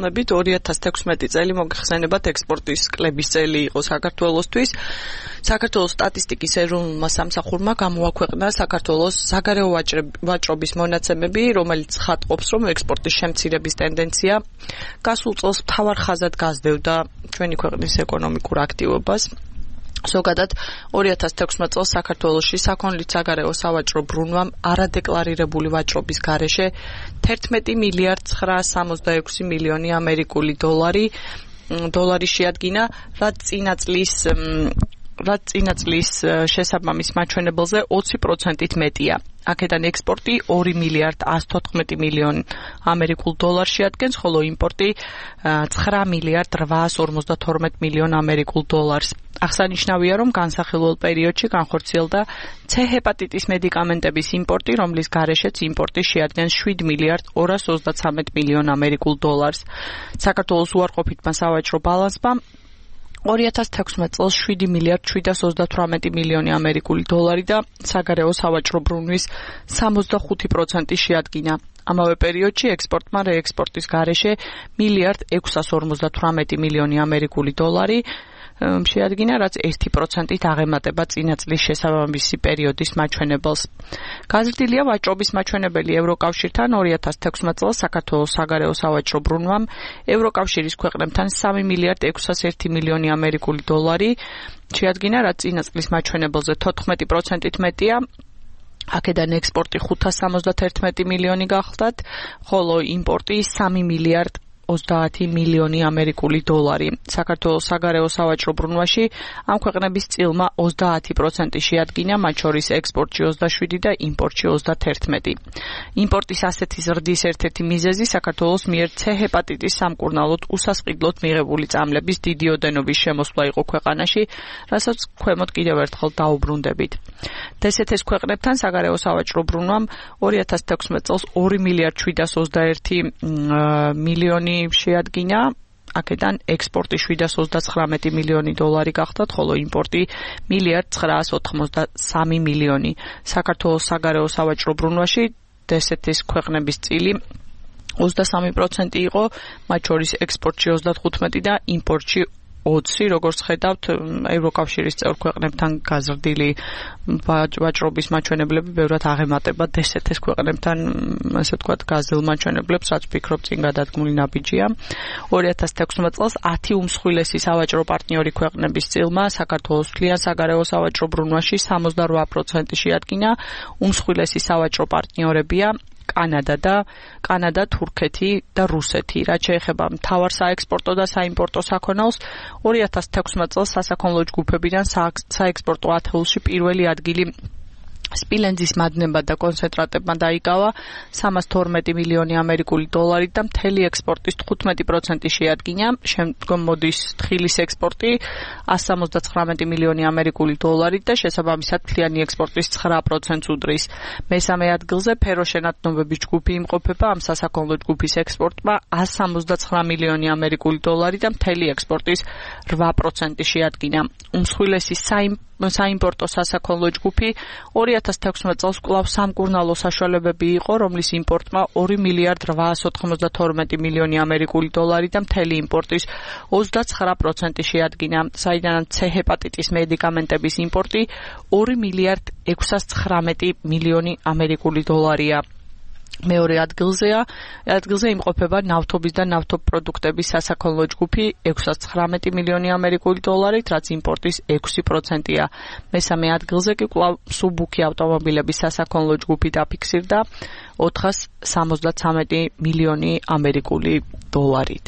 გახსნებით 2016 წელი მოგეხსენებათ ექსპორტის კლების წელი იყო საქართველოსთვის. საქართველოს სტატისტიკის ეროვნულმა სამსახურმა გამოაქვეყნა საქართველოს საგარეო ვაჭრობის მონაცემები, რომელიც ხატობს, რომ ექსპორტის შემცირების ტენდენცია გასულ წელს მთავარ ხაზად გასდევდა ჩვენი ქვეყნის ეკონომიკურ აქტივობას. ზოგადად 2016 წელს საქართველოში საქონლის საგარეო სავაჭრო ბრუნვამ არადეკლარირებული ვაჭრობის გარეშე 11 მილიარდ 966 მილიონი ამერიკული დოლარი შეადგინა, რაც წინა წლის შესაბამის მაჩვენებელზე 20%-ით მეტია. აქედან ექსპორტი 2 მილიარდ 114 მილიონი ამერიკულ დოლარს შეადგენს, ხოლო იმპორტი 9 მილიარდ 852 მილიონ ამერიკულ დოლარს. აღსანიშნავია, რომ განსახილველ პერიოდში განხორციელდა C ჰეპატიტის მედიკამენტების იმპორტი, რომლის გარეშეც იმპორტი შეადგენს 7 მილიარდ 233 მილიონ ამერიკულ დოლარს. საქართველოს უარყოფითმა სავაჭრო ბალანსმა 2016 წელს 7 მილიარდ 738 მილიონი ამერიკული დოლარი და საგარეო სავაჭრო ბრუნვის 65% შეადგინა. ამავე პერიოდში ექსპორტმა რეექსპორტის გარეშე მილიარდ 658 მილიონი ამერიკული დოლარი შეადგინა, რაც 1%-ით აღემატება წინა წლის შესაბამისი პერიოდის მაჩვენებელს. გაზრდილია ვაჭრობის მაჩვენებელი ევროკავშირთან 2016 წელს საქართველოს საგარეო სავაჭრო ბრუნვამ ევროკავშირის ქვეყნებთან 3 მილიარდ 601 მილიონი ამერიკული დოლარი შეადგინა, რაც წინა წლის მაჩვენებელზე 14%-ით მეტია. აქედან ექსპორტი 571 მილიონი გახლდათ, ხოლო იმპორტი 3 მილიარდ 30 მილიონი ამერიკული დოლარი. საქართველოს საგარეო სავაჭრო ბრუნვაში ამ ქვეყნების წილმა 30% შეადგინა, მათ შორის ექსპორტში 27 და იმპორტში 31. იმპორტის ასეთი ზრდის ერთ-ერთი მიზეზი საქართველოს მიერ C ჰეპატიტის სამკურნალოდ უსასყიდლოდ მიღებული წამლების დიდი ოდენობის შემოსვლა იყო ქვეყანაში, რასაც ქვემოთ კიდევ ერთხელ დაუბრუნდებით. DST-ს ქვეყნებთან საგარეო სავაჭრო ბრუნვამ 2016 წელს 2 მილიარდ 721 მილიონი შეადგინა, აქედან ექსპორტი 739 მილიონი დოლარი გახდათ, ხოლო იმპორტი მილიარდ 983 მილიონი. საქართველოს საგარეო სავაჭრო ბრუნვაში DST-ს ქვეყნების წილი 23% იყო, მათ შორის ექსპორტში 35 და იმპორტში 20, როგორც ხედავთ, ევროკავშირის წევრ ქვეყნებთან გაზრდილი ვაჭრობის მაჩვენებლები ბევრად აღემატება DST-ს ქვეყნებთან, ასე ვთქვათ, გაზრდილ მაჩვენებლებს, რაც ვფიქრობ წინ გადადგმული ნაბიჯია. 2016 წელს 10 უმსხვილესი სავაჭრო პარტნიორი ქვეყნების წილმა საქართველოს მთლიან საგარეო სავაჭრო ბრუნვაში 68% შეადგინა. უმსხვილესი სავაჭრო პარტნიორებია კანადა, თურქეთი და რუსეთი. რაც შეეხება მთავარ საექსპორტო და საიმპორტო საქონელს, 2016 წელს სასაქონლო ჯგუფებიდან საექსპორტო ათეულში პირველი ადგილი სპილენძის მადნებად და კონცენტრატებმა დაიკავა 312 მილიონი ამერიკული დოლარი და მთელი ექსპორტის 15% შეადგინა. შემდგომ მოდის თხილის ექსპორტი 179 მილიონი ამერიკული დოლარი და შესაბამისად მთლიანი ექსპორტის 9%-ს უდრის. მესამე ადგილზე ფეროშენადნობების ჯგუფი იმყოფება, ამ სასაქონლო ჯგუფის ექსპორტმა 179 მილიონი ამერიკული დოლარი და მთელი ექსპორტის 8% შეადგინა. უმსხვილესი საიმპორტო სასაქონლო ჯგუფი 2016 წელს კვლავ სამკურნალო საშუალებები იყო, რომლის იმპორტმა 2 მილიარდ 892 მილიონი ამერიკული დოლარი და მთელი იმპორტის 29% შეადგინა, საიდანაც C ჰეპატიტის მედიკამენტების იმპორტი 2 მილიარდ 619 მილიონი ამერიკული დოლარია. მეორე ადგილზე იმყოფება ნავთობის და ნავთობპროდუქტების სასაქონლო ჯგუფი 619 მილიონი ამერიკული დოლარით, რაც იმპორტის 6%-ია. მესამე ადგილზე კი კვლავ მსუბუქი ავტომობილების სასაქონლო ჯგუფი დაფიქსირდა 473 მილიონი ამერიკული დოლარით.